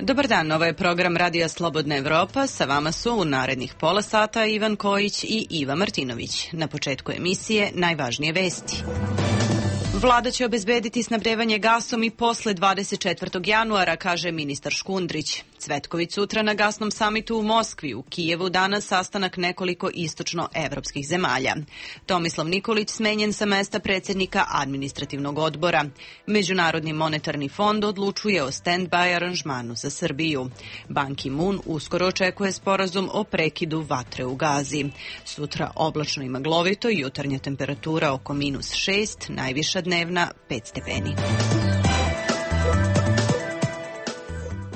Dobar dan, ovo je program Radija Slobodna Evropa. Sa vama su u narednih pola sata Ivan Kojić i Iva Martinović. Na početku emisije najvažnije vesti. Vlada će obezbediti snabdevanje gasom i posle 24. januara, kaže ministar Škundrić. Cvetković sutra na gasnom samitu u Moskvi, u Kijevu danas sastanak nekoliko istočno-evropskih zemalja. Tomislav Nikolić smenjen sa mesta predsjednika administrativnog odbora. Međunarodni monetarni fond odlučuje o stand-by aranžmanu za Srbiju. Ban Ki-moon uskoro očekuje sporazum o prekidu vatre u Gazi. Sutra oblačno i maglovito, jutarnja temperatura oko -6, najviša dnevna 5 stepeni.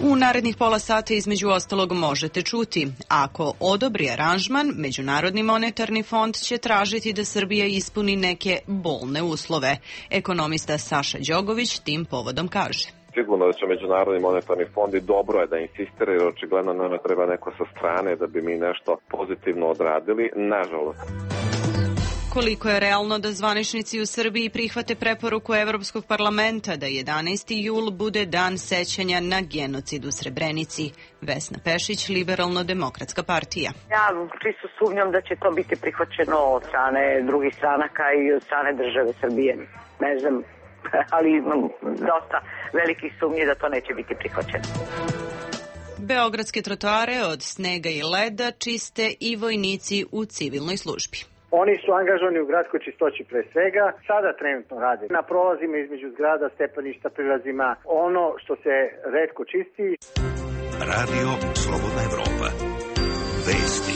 U narednih pola sata između ostalog možete čuti: ako odobri aranžman, Međunarodni monetarni fond će tražiti da Srbija ispuni neke bolne uslove. Ekonomista Saša Đogović tim povodom kaže: Sigurno da će Međunarodni monetarni fond i dobro je da insistira, jer očigledno nama treba neko sa strane da bi mi nešto pozitivno odradili, nažalost. Koliko je realno da zvaničnici u Srbiji prihvate preporuku Evropskog parlamenta da 11. jul bude dan sećanja na genocid u Srebrenici? Vesna Pešić, Liberalno-demokratska partija. Ja čisto sumnjam da će to biti prihvaćeno od strane drugih stranaka i od strane države Srbije. Ne znam, ali imam dosta velikih sumnji da to neće biti prihvaćeno. Beogradske trotoare od snega i leda čiste i vojnici u civilnoj službi. Oni su angažovani u gradskoj čistoći pre svega, sada trenutno rade na prolazima između zgrada, stepeništa, prilazima, ono što se retko čisti. Radio Slobodna Evropa. Vesti.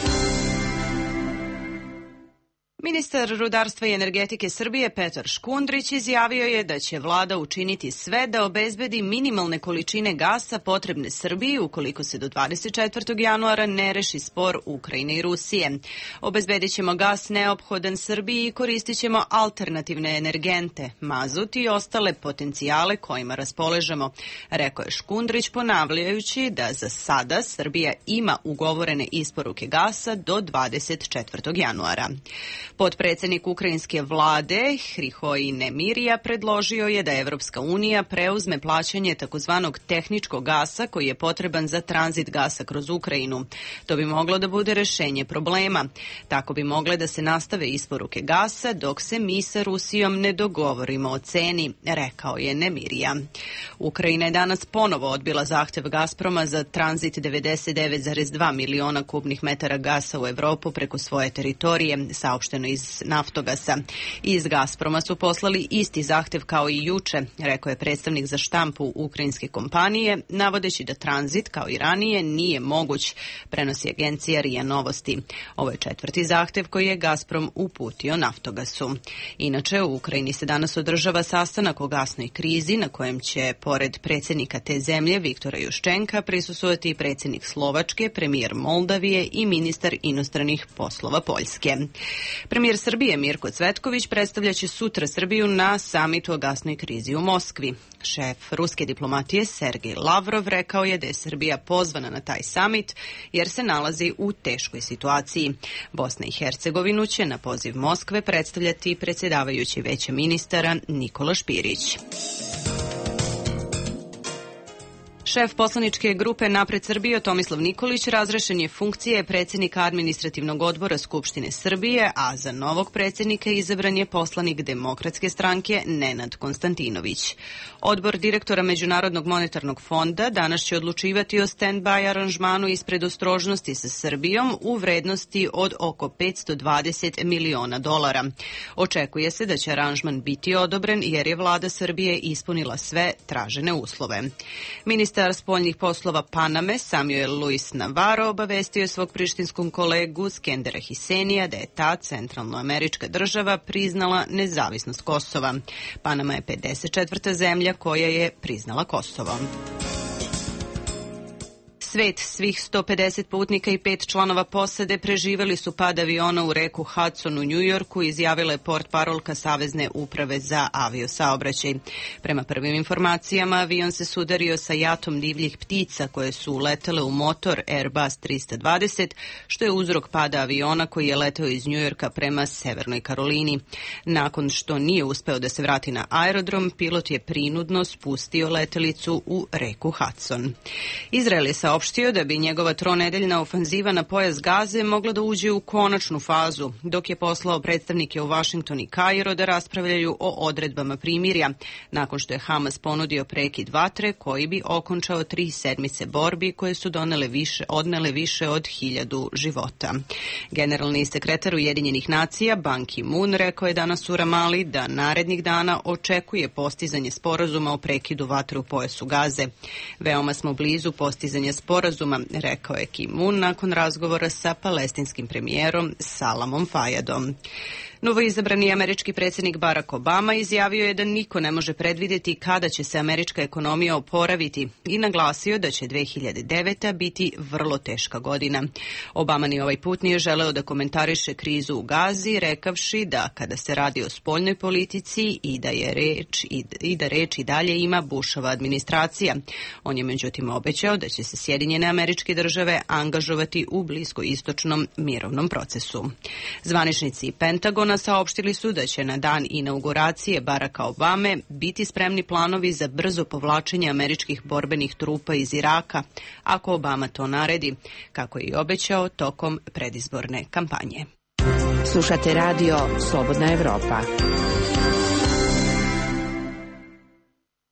Ministar rudarstva i energetike Srbije Petar Škundrić izjavio je da će vlada učiniti sve da obezbedi minimalne količine gasa potrebne Srbiji ukoliko se do 24. januara ne reši spor Ukrajine i Rusije. Obezbedit ćemo gas neophodan Srbiji i koristit ćemo alternativne energente, mazut i ostale potencijale kojima raspolažemo, rekao je Škundrić, ponavljajući da za sada Srbija ima ugovorene isporuke gasa do 24. januara. Potpredsednik ukrajinske vlade Hrihoj Nemirija predložio je da Evropska unija preuzme plaćanje takozvanog tehničkog gasa koji je potreban za tranzit gasa kroz Ukrajinu. To bi moglo da bude rešenje problema. Tako bi mogle da se nastave isporuke gasa dok se mi sa Rusijom ne dogovorimo o ceni, rekao je Nemirija. Ukrajina je danas ponovo odbila zahtev Gazproma za tranzit 99,2 miliona kubnih metara gasa u Evropu preko svoje teritorije, saopšteno iz Naftogasa. Iz Gazproma su poslali isti zahtev kao i juče, rekao je predstavnik za štampu ukrajinske kompanije, navodeći da tranzit, kao i ranije, nije moguć, prenosi agencija RIA Novosti. Ovo je četvrti zahtev koji je Gazprom uputio Naftogasu. Inače, u Ukrajini se danas održava sastanak o gasnoj krizi na kojem će, pored predsjednika te zemlje, Viktora Juščenka, prisustvovati i predsjednik Slovačke, premijer Moldavije i ministar inostranih poslova Poljske. Premijer Srbije Mirko Cvetković predstavljaće sutra Srbiju na samitu o gasnoj krizi u Moskvi. Šef ruske diplomatije Sergej Lavrov rekao je da je Srbija pozvana na taj samit jer se nalazi u teškoj situaciji. Bosna i Hercegovinu će na poziv Moskve predstavljati predsjedavajući Veća ministara Nikola Špirić. Šef poslaničke grupe Napred Srbije Tomislav Nikolić razrešen je funkcije predsjednika administrativnog odbora Skupštine Srbije, a za novog predsjednika izabran je poslanik Demokratske stranke Nenad Konstantinović. Odbor direktora Međunarodnog monetarnog fonda danas će odlučivati o stand-by aranžmanu iz predostrožnosti sa Srbijom u vrednosti od oko $520 miliona. Očekuje se da će aranžman biti odobren jer je vlada Srbije ispunila sve tražene uslove. Ministar spoljnih poslova Paname Samuel Luis Navarro obavestio je svog prištinskom kolegu Skendera Hisenija da je ta centralnoamerička država priznala nezavisnost Kosova. Panama je 54. zemlja koja je priznala Kosovo. Svet, svih 150 putnika i 5 članova posade preživeli su pad aviona u reku Hudson u Njujorku, izjavila je portparolka Savezne uprave za aviosaobraćaj. Prema prvim informacijama, avion se sudario sa jatom divljih ptica koje su uletele u motor Airbus 320, što je uzrok pada aviona koji je leteo iz Njujorka prema Severnoj Karolini. Nakon što nije uspeo da se vrati na aerodrom, pilot je prinudno spustio letelicu u reku Hudson. Izrael je saopštio da bi njegova tronedeljna ofanziva na pojas Gaze mogla da uđe u konačnu fazu, dok je poslao predstavnike u Vašington i Kairo da raspravljaju o odredbama primirja, nakon što je Hamas ponudio prekid vatre koji bi okončao 3 sedmice borbi koje su odnele više od 1000 života. Generalni sekretar Ujedinjenih nacija Ban Ki-moon rekao je danas u Ramali da narednih dana očekuje postizanje sporazuma o prekidu vatre u pojasu Gaze. Veoma smo blizu postizanja sporazuma, rekao je Ki-moon nakon razgovora sa palestinskim premijerom Salamom Fayadom. Novoizabrani američki predsjednik Barack Obama izjavio je da niko ne može predvidjeti kada će se američka ekonomija oporaviti i naglasio da će 2009. biti vrlo teška godina. Obama ni ovaj put nije želeo da komentariše krizu u Gazi, rekavši da kada se radi o spoljnoj politici i da reč i dalje ima Bushova administracija. On je međutim obećao da će se Sjedinjene Američke Države angažovati u bliskoistočnom mirovnom procesu. Zvaničnici Pentagona saopštili su da će na dan inauguracije Baracka Obame biti spremni planovi za brzo povlačenje američkih borbenih trupa iz Iraka, ako Obama to naredi, kako je i obećao tokom predizborne kampanje. Slušate radio Slobodna Evropa.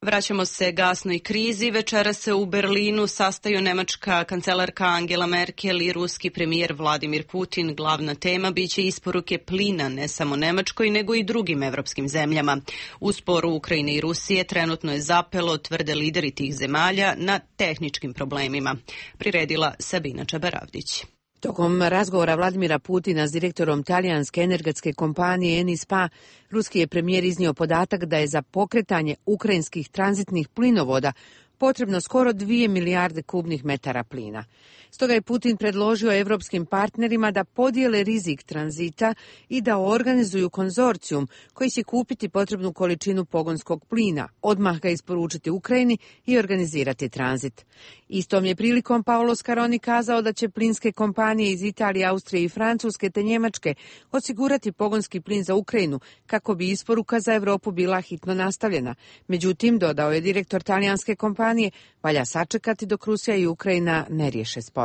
Vraćamo se gasnoj krizi. Večera se u Berlinu sastaju nemačka kancelarka Angela Merkel i ruski premijer Vladimir Putin. Glavna tema biće isporuke plina ne samo Nemačkoj, nego i drugim evropskim zemljama. U sporu Ukrajine i Rusije trenutno je zapelo, tvrde lideri tih zemalja, na tehničkim problemima. Priredila Sabina Čabaravdić. Tokom razgovora Vladimira Putina s direktorom talijanske energetske kompanije Eni-Spa, ruski je premijer iznio podatak da je za pokretanje ukrajinskih tranzitnih plinovoda potrebno skoro 2 milijarde kubnih metara plina. Stoga je Putin predložio evropskim partnerima da podijele rizik tranzita i da organizuju konzorcijum koji će kupiti potrebnu količinu pogonskog plina, odmah ga isporučiti Ukrajini i organizirati tranzit. Istom je prilikom Paolo Scaroni kazao da će plinske kompanije iz Italije, Austrije i Francuske te Njemačke osigurati pogonski plin za Ukrajinu kako bi isporuka za Evropu bila hitno nastavljena. Međutim, dodao je direktor talijanske kompanije, valja sačekati dok Rusija i Ukrajina ne riješe spor.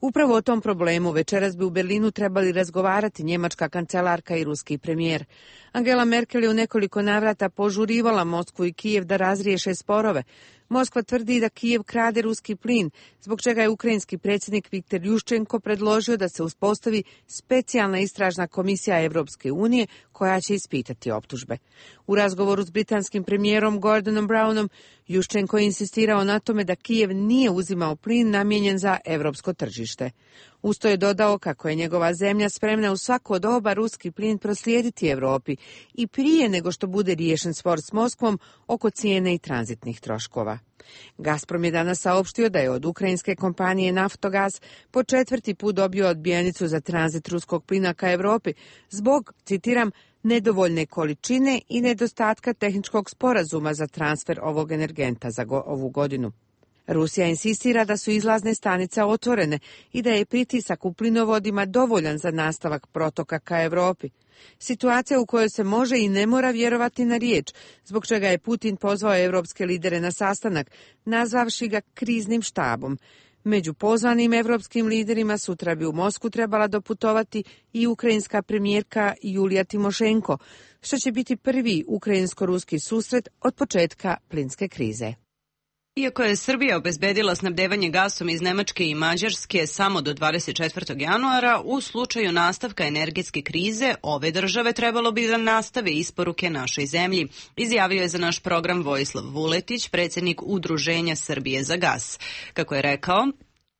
Upravo o tom problemu večeras bi u Berlinu trebali razgovarati njemačka kancelarka i ruski premijer. Angela Merkel je u nekoliko navrata požurivala Moskvu i Kijev da razriješe sporove. Moskva tvrdi da Kijev krade ruski plin, zbog čega je ukrajinski predsjednik Viktor Juščenko predložio da se uspostavi specijalna istražna komisija Evropske unije koja će ispitati optužbe. U razgovoru s britanskim premijerom Gordonom Brownom, Juščenko je insistirao na tome da Kijev nije uzimao plin namijenjen za evropsko tržište. Usto je dodao kako je njegova zemlja spremna u svako doba ruski plin proslijediti Europi i prije nego što bude riješen spor s Moskvom oko cijene i tranzitnih troškova. Gazprom je danas saopštio da je od ukrajinske kompanije Naftogaz po 4. put dobio odbijenicu za tranzit ruskog plina ka Europi zbog, citiram, nedovoljne količine i nedostatka tehničkog sporazuma za transfer ovog energenta za ovu godinu. Rusija insistira da su izlazne stanice otvorene i da je pritisak u plinovodima dovoljan za nastavak protoka ka Europi. Situacija u kojoj se može i ne mora vjerovati na riječ, zbog čega je Putin pozvao evropske lidere na sastanak, nazvavši ga kriznim štabom. Među pozvanim evropskim liderima sutra bi u Moskvu trebala doputovati i ukrajinska premijerka Julija Timošenko, što će biti prvi ukrajinsko-ruski susret od početka plinske krize. Iako je Srbija obezbedila snabdevanje gasom iz Nemačke i Mađarske samo do 24. januara, u slučaju nastavka energetske krize ove države trebalo bi da nastave isporuke našoj zemlji, izjavio je za naš program Vojislav Vuletić, predsjednik Udruženja Srbije za gas. Kako je rekao,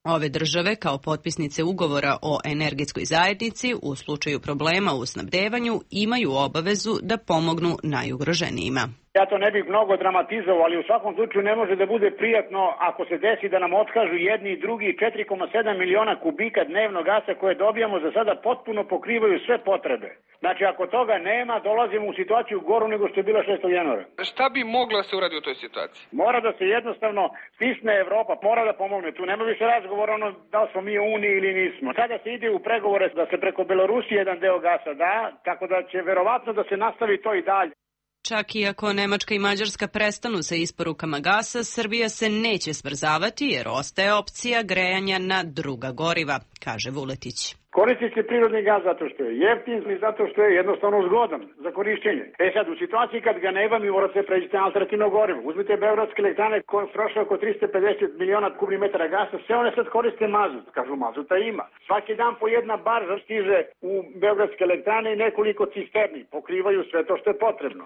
ove države kao potpisnice ugovora o energetskoj zajednici u slučaju problema u snabdevanju imaju obavezu da pomognu najugroženijima. Ja to ne bih mnogo dramatizovao, ali u svakom slučaju ne može da bude prijatno ako se desi da nam otkažu jedni i drugi 4,7 miliona kubika dnevno gasa koje dobijamo za sada potpuno pokrivaju sve potrebe. Znači ako toga nema, dolazimo u situaciju goru nego što je bila 6. januara. Šta bi moglo da se uradi u toj situaciji? Mora da se jednostavno stisne Evropa, mora da pomogne. Tu nema više razgovora ono da li smo mi u Uniji ili nismo. Sada se ide u pregovore da se preko Belorusije jedan deo gasa da, tako da će verovatno da se nastavi to i dalje. Čak i ako Nemačka i Mađarska prestanu sa isporukama gasa, Srbija se neće smrzavati jer ostaje opcija grejanja na druga goriva, kaže Vuletić. Koristi se prirodni gas zato što je jeftin i zato što je jednostavno zgodan za korišćenje. Sad, u situaciji kad ga nema, mi morate pređiti na alternativno gorivo. Uzmite beogradske elektrane koje troše oko 350 miliona kubnih metara gasa, sve one sad koriste mazut. Kažu, mazuta ima. Svaki dan po jedna barža stiže u beogradske elektrane i nekoliko cisterni. Pokrivaju sve to što je potrebno.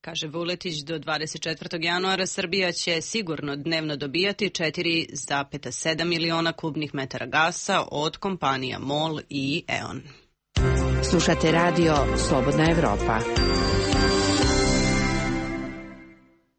Kaže Vuletić, do 24. januara Srbija će sigurno dnevno dobijati 4,7 miliona kubnih metara gasa od kompanija MOL i E.ON. Slušate radio Slobodna Evropa.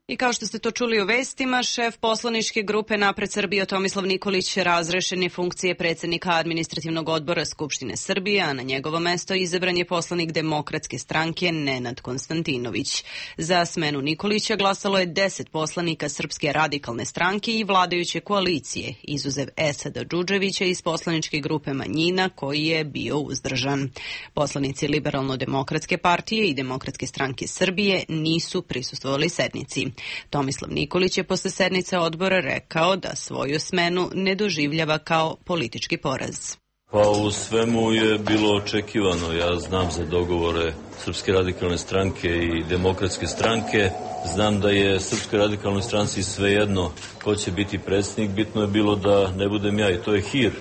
I kao što ste to čuli u vestima, šef poslaničke grupe Napred Srbija Tomislav Nikolić razrešen je funkcije predsjednika administrativnog odbora Skupštine Srbije, a na njegovo mesto izabran je poslanik Demokratske stranke Nenad Konstantinović. Za smenu Nikolića glasalo je 10 poslanika Srpske radikalne stranke i vladajuće koalicije, izuzev Esada Džudževića iz poslaničke grupe Manjina koji je bio uzdržan. Poslanici Liberalno-demokratske partije i Demokratske stranke Srbije nisu prisustvovali sednici. Tomislav Nikolić je posle sednice odbora rekao da svoju smenu ne doživljava kao politički poraz. Pa u svemu je bilo očekivano. Ja znam za dogovore Srpske radikalne stranke i Demokratske stranke. Znam da je Srpskoj radikalnoj stranci svejedno ko će biti predsjednik. Bitno je bilo da ne budem ja i to je hir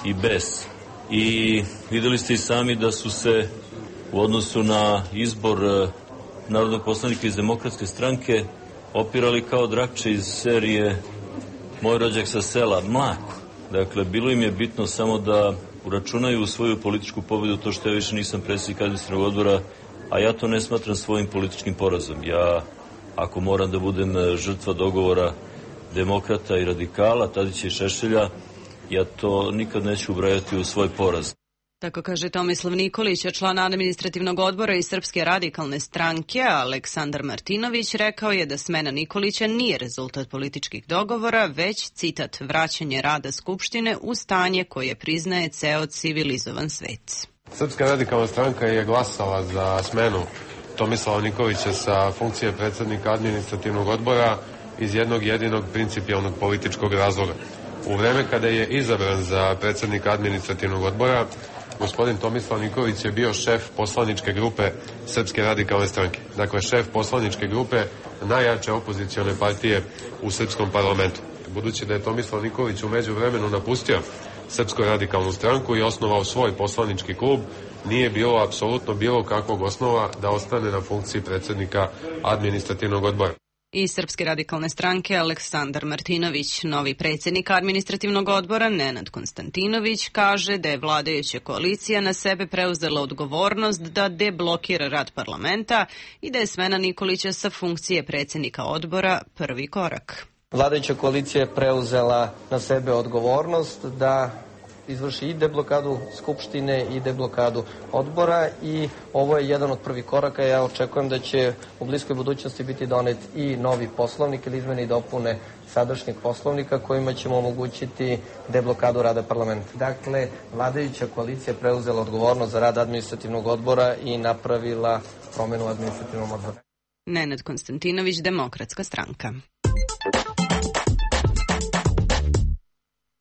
i bes. I videli ste i sami da su se u odnosu na izbor narodnog poslanika iz Demokratske stranke opirali kao Drakče iz serije Moj rođak sa sela, mlako. Dakle, bilo im je bitno samo da uračunaju u svoju političku pobedu to što ja više nisam predsjednik administrativnog odbora, a ja to ne smatram svojim političkim porazom. Ja, ako moram da budem žrtva dogovora demokrata i radikala, Tadića i Šešelja, ja to nikad neću ubrajati u svoj poraz. Tako kaže Tomislav Nikolić, a član administrativnog odbora iz Srpske radikalne stranke, Aleksandar Martinović, rekao je da smena Nikolića nije rezultat političkih dogovora, već, citat, vraćanje rada Skupštine u stanje koje priznaje ceo civilizovan svet. Srpska radikalna stranka je glasala za smenu Tomislava Nikolića sa funkcije predsjednika administrativnog odbora iz jednog jedinog principijalnog političkog razloga. U vreme kada je izabran za predsjednika administrativnog odbora, gospodin Tomislav Nikolić je bio šef poslaničke grupe Srpske radikalne stranke. Dakle, šef poslaničke grupe najjače opozicione partije u srpskom parlamentu. Budući da je Tomislav Nikolić u međuvremenu napustio Srpsku radikalnu stranku i osnovao svoj poslanički klub, nije bilo apsolutno bilo kakvog osnova da ostane na funkciji predsjednika administrativnog odbora. Iz Srpske radikalne stranke Aleksandar Martinović, novi predsjednik administrativnog odbora Nenad Konstantinović, kaže da je vladajuća koalicija na sebe preuzela odgovornost da deblokira rad parlamenta i da je smena Nikolića sa funkcije predsjednika odbora prvi korak. Vladajuća koalicija je preuzela na sebe odgovornost da izvrši i deblokadu Skupštine i deblokadu odbora i ovo je jedan od prvih koraka. Ja očekujem da će u bliskoj budućnosti biti donet i novi poslovnik ili izmene i dopune sadašnjeg poslovnika kojima ćemo omogućiti deblokadu rada parlamenta. Dakle, vladajuća koalicija preuzela odgovornost za rad administrativnog odbora i napravila promenu administrativnog odbora. Nenad Konstantinović, Demokratska stranka.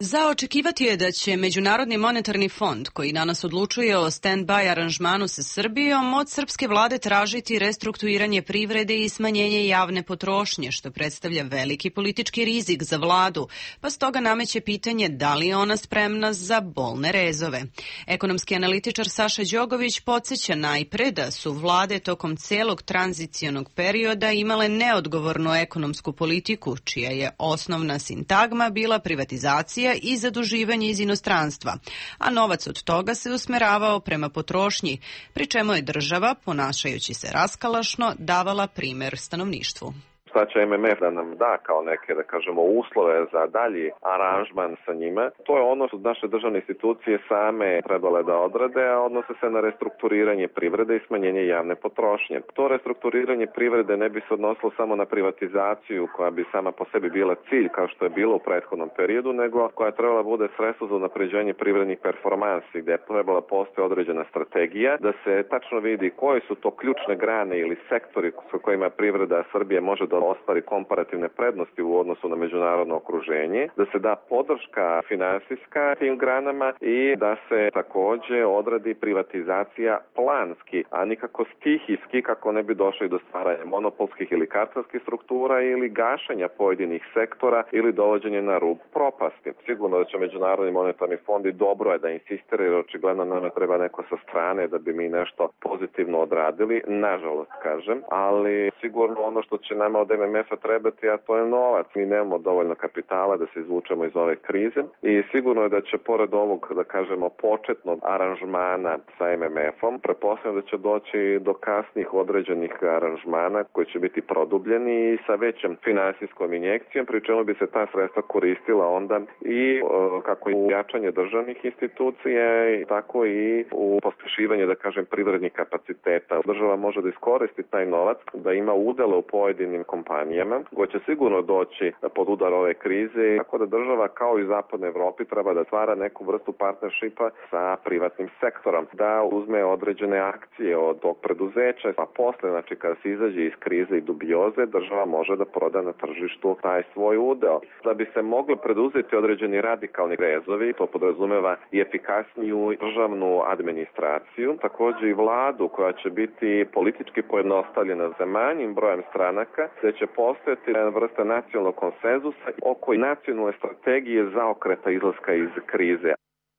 Za očekivati je da će Međunarodni monetarni fond, koji danas odlučuje o stand-by aranžmanu sa Srbijom, od srpske vlade tražiti restrukturiranje privrede i smanjenje javne potrošnje, što predstavlja veliki politički rizik za vladu, pa stoga nameće pitanje da li je ona spremna za bolne rezove. Ekonomski analitičar Saša Đogović podsjeća najpre da su vlade tokom celog tranzicionog perioda imale neodgovornu ekonomsku politiku, čija je osnovna sintagma bila privatizacija investicija i zaduživanje iz inostranstva, a novac od toga se usmeravao prema potrošnji, pri čemu je država, ponašajući se raskalašno, davala primer stanovništvu. Šta će MMF da nam da kao neke, da kažemo, uslove za dalji aranžman sa njima? To je ono što naše državne institucije same trebale da odrade, a odnose se na restrukturiranje privrede i smanjenje javne potrošnje. To restrukturiranje privrede ne bi se odnosilo samo na privatizaciju koja bi sama po sebi bila cilj kao što je bilo u prethodnom periodu, nego koja je trebala bude sredstvo za unapređenje privrednih performansi, gde je trebala postoji određena strategija, da se tačno vidi koje su to ključne grane ili sektori sa kojima privreda Srbije može da ostvari komparativne prednosti u odnosu na međunarodno okruženje, da se da podrška finansijska tim granama i da se takođe odradi privatizacija planski, a nikako stihijski kako ne bi došli do stvaranja monopolskih ili kartelskih struktura ili gašenja pojedinih sektora ili dovođenja na rub propasti. Sigurno da će Međunarodni monetarni fond i dobro je da insistira, jer očigledno nama treba neko sa strane da bi mi nešto pozitivno odradili, nažalost kažem, ali sigurno ono što će nama od MMF-a trebati, a to je novac. Mi nemamo dovoljno kapitala da se izvučemo iz ove krize i sigurno je da će pored ovog, da kažemo, početnog aranžmana sa MMF-om, pretpostavljam da će doći do kasnih određenih aranžmana koji će biti produbljeni i sa većom finansijskom injekcijom, pri čemu bi se ta sredstva koristila onda i kako u jačanje državnih institucija, tako i u pospešivanje, da kažem, privrednih kapaciteta. Država može da iskoristi taj novac, da ima udele u pojedinim kompanijama, koje će sigurno doći pod udar ove krize, tako da država kao i zapadne Evropi treba da stvara neku vrstu partnershipa sa privatnim sektorom, da uzme određene akcije od tog preduzeća, a posle, znači kada se izađe iz krize i dubioze, država može da proda na tržištu taj svoj udeo. Da bi se mogli preduzeti određeni radikalni rezovi, to podrazumeva i efikasniju državnu administraciju, takođe i vladu koja će biti politički pojednostavljena za manjim brojem stranaka, gde će postojati jedna vrsta nacionalnog konsenzusa oko nacionalne strategije zaokreta izlaska iz krize.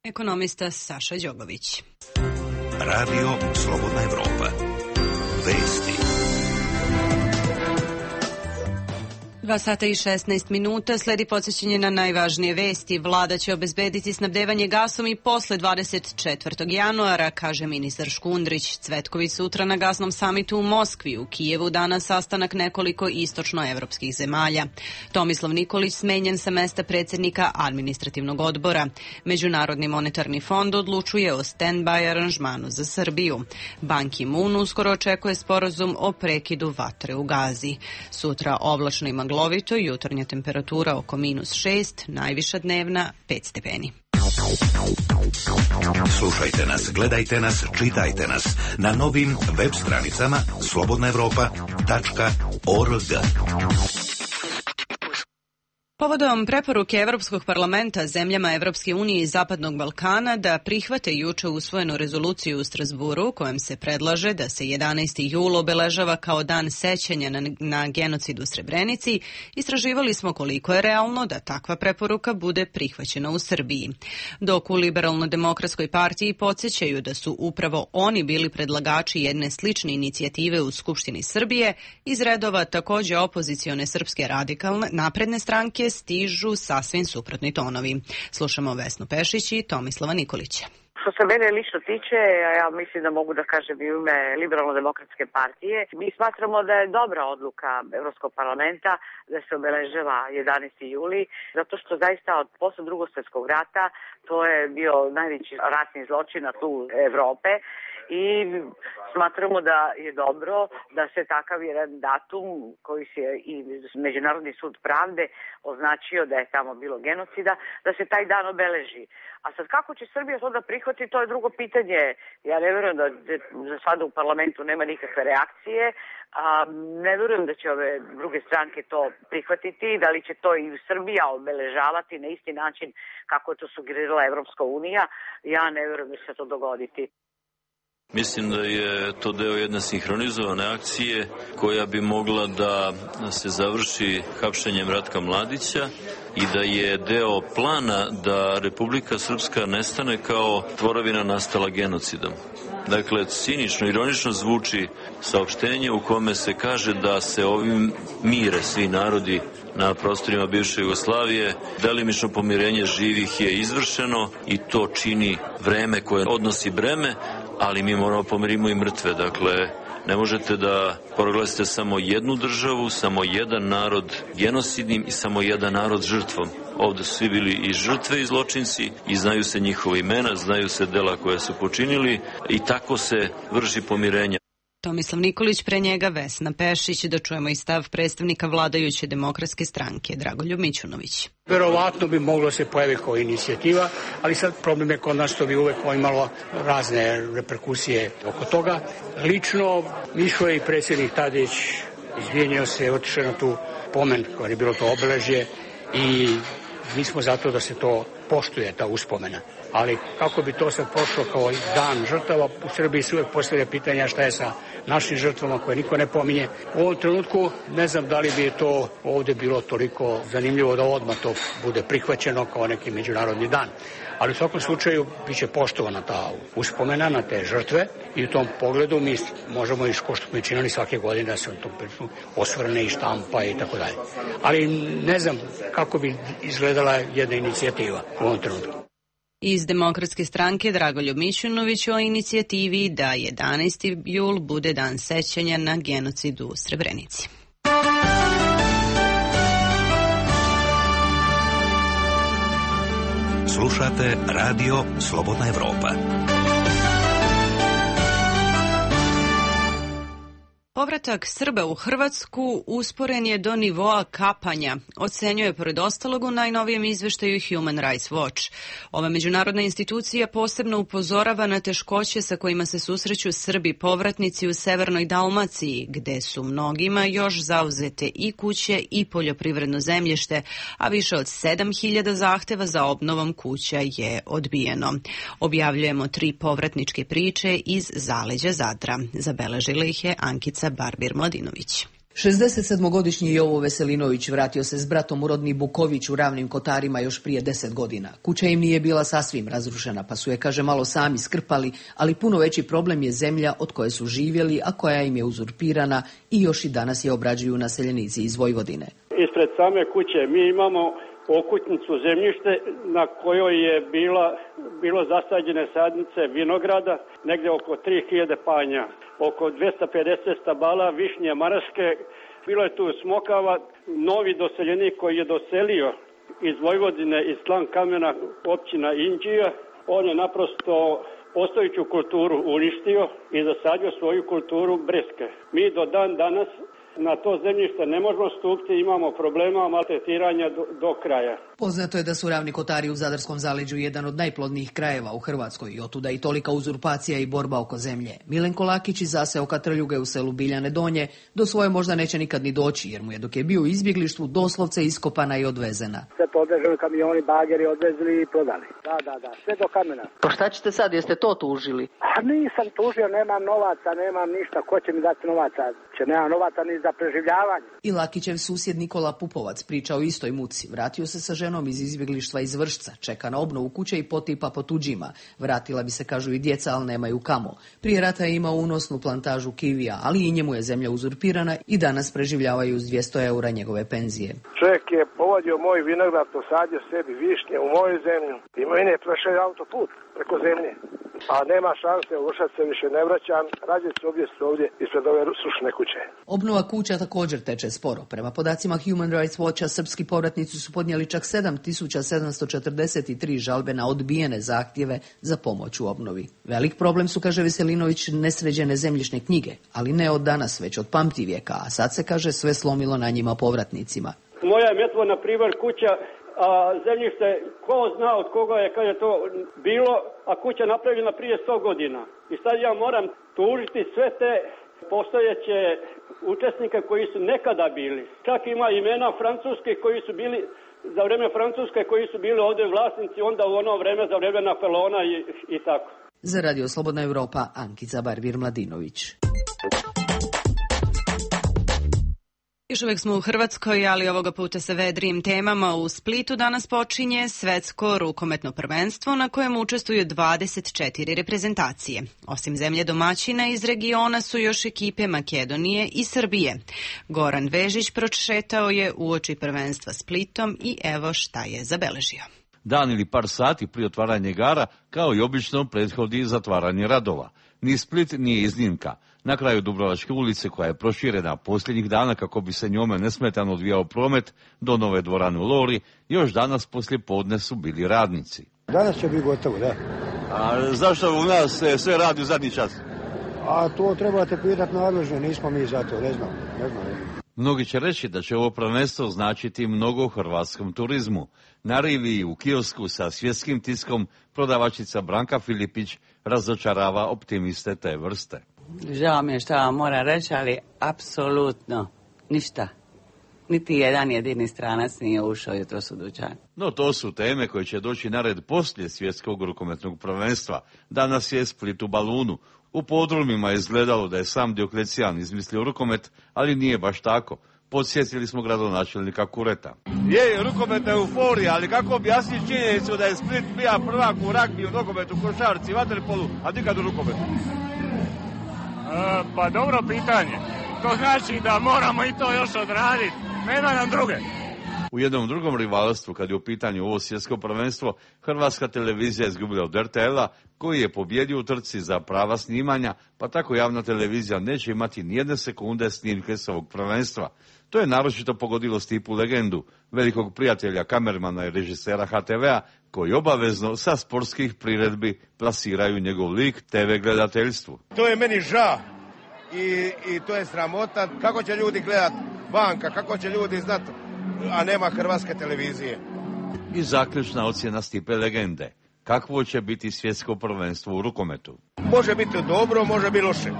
Ekonomista Saša Đogović. Radio Slobodna Evropa. Vesti. 2 sata i 16 minuta, sledi podsjećanje na najvažnije vesti. Vlada će obezbediti snabdevanje gasom i posle 24. januara, kaže ministar Škundrić. Cvetković sutra na gasnom samitu u Moskvi. U Kijevu danas sastanak nekoliko istočnoevropskih zemalja. Tomislav Nikolić smenjen sa mesta predsjednika administrativnog odbora. Međunarodni monetarni fond odlučuje o stand-by aranžmanu za Srbiju. Ban Ki-moon uskoro očekuje sporazum o prekidu vatre u Gazi. Sutra oblačno i maglovito, jutarnja temperatura oko -6, najviša dnevna 5 stepeni. Slušajte nas, gledajte nas, čitajte nas na novim web stranicama slobodnaevropa.org. Povodom preporuke Evropskog parlamenta zemljama Evropske unije i Zapadnog Balkana da prihvate juče usvojenu rezoluciju u Strasburu kojom se predlaže da se 11. jul obeležava kao dan sećanja na genocid u Srebrenici, istraživali smo koliko je realno da takva preporuka bude prihvaćena u Srbiji. Dok u Liberalno-demokratskoj partiji podsjećaju da su upravo oni bili predlagači jedne slične inicijative u Skupštini Srbije, iz redova takođe opozicione Srpske radikalne napredne stranke stižu sasvim suprotni tonovi. Slušamo Vesnu Pešić i Tomislava Nikolića. Što se mene lično tiče, ja mislim da mogu da kažem i u ime Liberalno-demokratske partije, mi smatramo da je dobra odluka Evropskog parlamenta da se obeležava 11. juli, zato što zaista od posle Drugog svjetskog rata to je bio najveći ratni zločin na tlu Evrope i smatramo da je dobro da se takav jedan datum koji se i Međunarodni sud pravde označio da je tamo bilo genocida, da se taj dan obeleži. A sad kako će Srbija to da prihvati, to je drugo pitanje. Ja ne verujem da za sada u parlamentu nema nikakve reakcije, a ne verujem da će ove druge stranke to prihvatiti, da li će to i Srbija obeležavati na isti način kako je to sugerirala Evropska unija, ja ne verujem da će se to dogoditi. Mislim da je to deo jedne sinhronizovane akcije koja bi mogla da se završi hapšenjem Ratka Mladića i da je deo plana da Republika Srpska nestane kao tvorevina nastala genocidom. Dakle, cinično, ironično zvuči saopštenje u kome se kaže da se ovim mire svi narodi na prostorima bivše Jugoslavije. Delimično pomirenje živih je izvršeno i to čini vreme koje odnosi breme, ali mi moramo pomirimo i mrtve. Dakle, ne možete da proglasite samo jednu državu, samo jedan narod genocidnim i samo jedan narod žrtvom. Ovde su svi bili i žrtve i zločinci i znaju se njihova imena, znaju se dela koja su počinili i tako se vrši pomirenje. Tomislav Nikolić, pre njega Vesna Pešić. Da čujemo i stav predstavnika vladajuće Demokratske stranke Dragoljub Mićunović. Verovatno bi moglo se pojaviti kao inicijativa, ali sad problem je kod nas što bi uvek imalo razne reperkusije oko toga. Lično išao je i predsjednik Tadić, izvinio se, otišao na tu pomen koja je bilo to obeležje i mi smo zato da se to poštuje, ta uspomena. Ali kako bi to sad prošlo kao dan žrtava, u Srbiji se uvek postavlja pitanja šta je sa našim žrtvama koje niko ne pominje. U ovom trenutku ne znam da li bi to ovde bilo toliko zanimljivo da odmah to bude prihvaćeno kao neki međunarodni dan. Ali u svakom slučaju biće poštovana ta uspomena na te žrtve i u tom pogledu mi možemo i što smo činili svake godine da se u tom priču osvrne i štampa i tako dalje. Ali ne znam kako bi izgledala jedna inicijativa u ovom trenutku. Iz Demokratske stranke Dragoljub Mićunović o inicijativi da 11. jul bude dan sećanja na genocid u Srebrenici. Slušate Radio Slobodna Evropa. Povratak Srba u Hrvatsku usporen je do nivoa kapanja, ocenjuje pored ostalog u najnovijem izveštaju Human Rights Watch. Ova međunarodna institucija posebno upozorava na teškoće sa kojima se susreću Srbi povratnici u severnoj Dalmaciji, gde su mnogima još zauzete i kuće i poljoprivredno zemljište, a više od 7.000 zahteva za obnovom kuća je odbijeno. Objavljujemo 3 povratničke priče iz zaleđa Zadra. Zabeležila ih je Ankica Barbir Mladinović. 67-godišnji Jovo Veselinović vratio se s bratom u rodni Buković u Ravnim Kotarima još prije 10 godina. Kuća im nije bila sasvim razrušena, pa su je, kaže, malo sami skrpali, ali puno veći problem je zemlja od koje su živjeli, a koja im je uzurpirana i još i danas je obrađuju naseljenici iz Vojvodine. Ispred same kuće mi imamo okućnicu zemljište na kojoj je bilo zasađene sadnice vinograda, negde oko 3000 panja, oko 250 stabala višnje maraske, bilo je tu smokava. Novi doseljenik koji je doselio iz Vojvodine, iz Slankamena, općina Inđija, on je naprosto postojeću kulturu uništio i zasadio svoju kulturu breske. Mi do dan danas na to zemljište ne možemo stupiti, imamo problema maltretiranja do kraja. Poznato je da su Ravni Kotari u Zadarskom zaleđu jedan od najplodnijih krajeva u Hrvatskoj i otuda i tolika uzurpacija i borba oko zemlje. Milenko Lakić iz zaseoka Katrljuge u selu Biljane Donje do svoje možda neće nikad ni doći, jer mu je dok je bio u izbjeglištvu doslovce iskopana i odvezena. Sve to odveženi kamioni, bageri odvezli i prodali. Da, sve do kamena. Pa šta ćete sad, jeste to tužili? A nisam tužio, nemam novaca, nemam ništa, ko će mi dati novaca? Nemam novaca ni za preživljavanje. I Lakićev susjed Nikola Pupovac priča o istoj muci. Vratio se sa ženom iz izbjeglištva iz Vršca, čeka na obnovu kuće i potipa po tuđima. Vratila bi se, kažu, i djeca, ali nemaju kamo. Prije rata je imao unosnu plantažu kivija, ali i njemu je zemlja uzurpirana i danas preživljavaju uz 200 eura njegove penzije. Čovjek je povodio moj vinograd, posadio sebi višnje u moju zemlju i mene je prošao autoput preko zemlje. A nema šanse, u Vršac se više ne vraćam, rađe se ovdje ispred ove srušene kuće. Obnova kuća također teče sporo. Prema podacima Human Rights Watcha, srpski povratnici su podnijeli čak 7.743 žalbe na odbijene zahtjeve za pomoć u obnovi. Velik problem su, kaže Veselinović, nesređene zemljišne knjige, ali ne od danas, već od pamtivijeka, a sad se, kaže, sve slomilo na njima povratnicima. Moja je metvo, na primjer, kuća, a zemljište, ko zna od koga je, kad je to bilo, a kuća napravljena prije 100 godina. I sad ja moram tužiti sve te postojeće učesnike koji su nekada bili. Čak ima imena francuske koji su bili, za vreme Francuske koji su bili ovdje vlasnici, onda u ono vreme, za vreme Napoleona i tako. Za Radio Slobodna Evropa, Ankica Barbir Mladinović. Još uvijek smo u Hrvatskoj, ali ovoga puta sa vedrijim temama. U Splitu danas počinje svetsko rukometno prvenstvo na kojem učestvuju 24 reprezentacije. Osim zemlje domaćina iz regiona su još ekipe Makedonije i Srbije. Goran Vežić prošetao je uoči prvenstva Splitom i evo šta je zabeležio. Dan ili par sati prije otvaranja igara, kao i obično, prethodi zatvaranje radova. Ni Split nije iznimka. Na kraju Dubrovačke ulice, koja je proširena posljednjih dana kako bi se njome nesmetano odvijao promet do nove dvorane u Lori, još danas poslije podne su bili radnici. Danas će biti gotovo, da. A zašto u nas sve radi u zadnji čas? A to trebate pitati nadležno, nismo mi za to, ne znam. Mnogi će reći da će ovo prvenstvo značiti mnogo hrvatskom turizmu. Na rivi u kiosku sa svjetskim tiskom prodavačica Branka Filipić razočarava optimiste te vrste. Žao mi je što vam moram reći, ali apsolutno ništa. Niti jedan jedini stranac nije ušao jutros u dućan. No to su teme koje će doći na red poslije svjetskog rukometnog prvenstva. Danas je Split u balunu. U podrumima je izgledalo da je sam Dioklecijan izmislio rukomet, ali nije baš tako. Podsjetili smo gradonačelnika Kureta. Je, rukometna euforija, ali kako objasniti činjenicu da je Split bio prvak u ragbi, u nogometu, košarci, vaterpolu, a nikad u rukometu? Pa dobro pitanje. To znači da moramo i to još odraditi. Nema nam druge. U jednom drugom rivalstvu, kad je u pitanju ovo svjetsko prvenstvo, Hrvatska televizija je izgubila od RTL-a, koji je pobjedio u trci za prava snimanja, pa tako javna televizija neće imati nijedne sekunde snimke s ovog prvenstva. To je naročito pogodilo Stipu legendu, velikog prijatelja kamermana i režisera HTV-a, koji obavezno sa sportskih priredbi plasiraju njegov lik TV gledateljstvu. To je meni žao i to je sramota. Kako će ljudi gledat vanka, kako će ljudi znati, a nema hrvatske televizije. I zaključna ocjena Stipe legende. Kakvo će biti svjetsko prvenstvo u rukometu? Može biti dobro, može biti loše,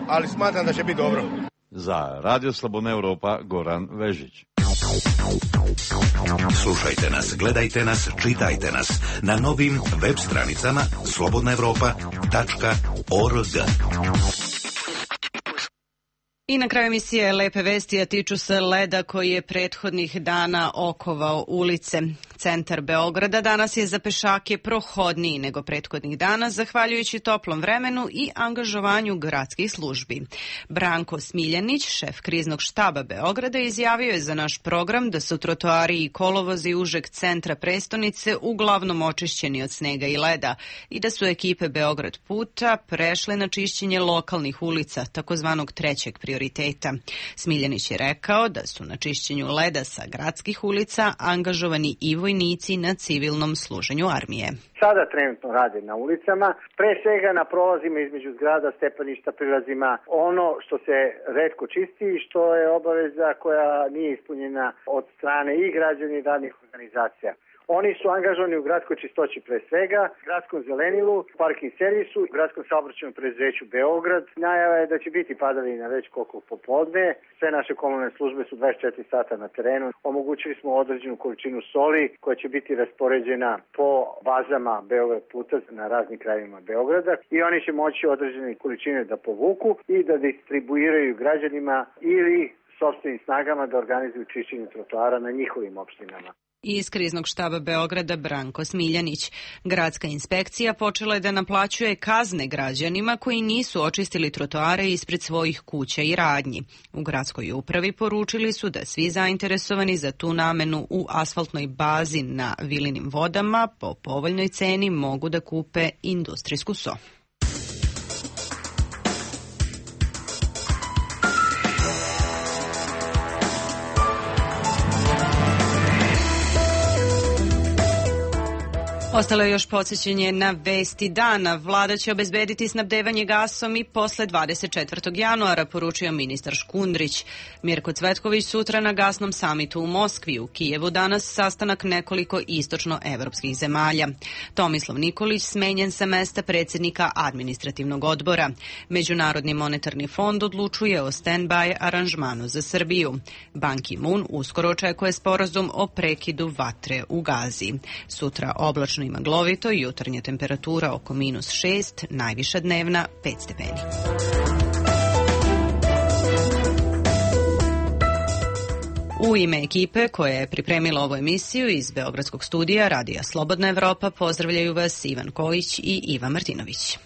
ali smatram da će biti dobro. Za Radio Slobodna Europa, Goran Vežić. Slušajte nas, gledajte nas, čitajte nas na novim web stranicama slobodnaevropa.org. I na kraju emisije lepe vesti, a tiču se leda koji je prethodnih dana okovao ulice. Centar Beograda danas je za pešake prohodniji nego prethodnih dana, zahvaljujući toplom vremenu i angažovanju gradskih službi. Branko Smiljanić, šef kriznog štaba Beograda, izjavio je za naš program da su trotoari i kolovozi užeg centra prestonice uglavnom očišćeni od snega i leda i da su ekipe Beograd puta prešle na čišćenje lokalnih ulica, takozvanog trećeg prioriteta. Smiljanić je rekao da su na čišćenju leda sa gradskih ulica angažovani i vojnici na civilnom služenju armije. Sada trenutno rade na ulicama, pre svega na prolazima između zgrada, stepeništa, prilazima, ono što se retko čisti i što je obaveza koja nije ispunjena od strane i građana i radnih organizacija. Oni su angažovani u gradskoj čistoći pre svega, gradskom zelenilu, parking servisu, gradskom saobraćajnom preduzeću Beograd. Najava je da će biti padavina već koliko popodne. Sve naše komunalne službe su 24 sata na terenu. Omogućili smo određenu količinu soli koja će biti raspoređena po bazama Beograd puta na raznim krajevima Beograda i oni će moći određene količine da povuku i da distribuiraju građanima ili sopstvenim snagama da organizuju čišćenje trotoara na njihovim opštinama. Iz kriznog štaba Beograda Branko Smiljanić. Gradska inspekcija počela je da naplaćuje kazne građanima koji nisu očistili trotoare ispred svojih kuća i radnji. U gradskoj upravi poručili su da svi zainteresovani za tu namenu u asfaltnoj bazi na Vilinim vodama po povoljnoj ceni mogu da kupe industrijsku so. Ostalo je još podsjećanje na vesti dana. Vlada će obezbediti snabdevanje gasom i posle 24. januara, poručio ministar Škundrić. Mirko Cvetković sutra na gasnom samitu u Moskvi. U Kijevu danas sastanak nekoliko istočnoevropskih zemalja. Tomislav Nikolić smenjen sa mesta predsjednika administrativnog odbora. Međunarodni monetarni fond odlučuje o stand-by aranžmanu za Srbiju. Ban Ki-moon uskoro očekuje sporazum o prekidu vatre u Gazi. Sutra oblačno i maglovito, jutarnja temperatura oko -6, najviša dnevna 5 stepeni. U ime ekipe koja je pripremila ovu emisiju iz Beogradskog studija Radija Slobodna Evropa pozdravljaju vas Ivan Kojić i Iva Martinović.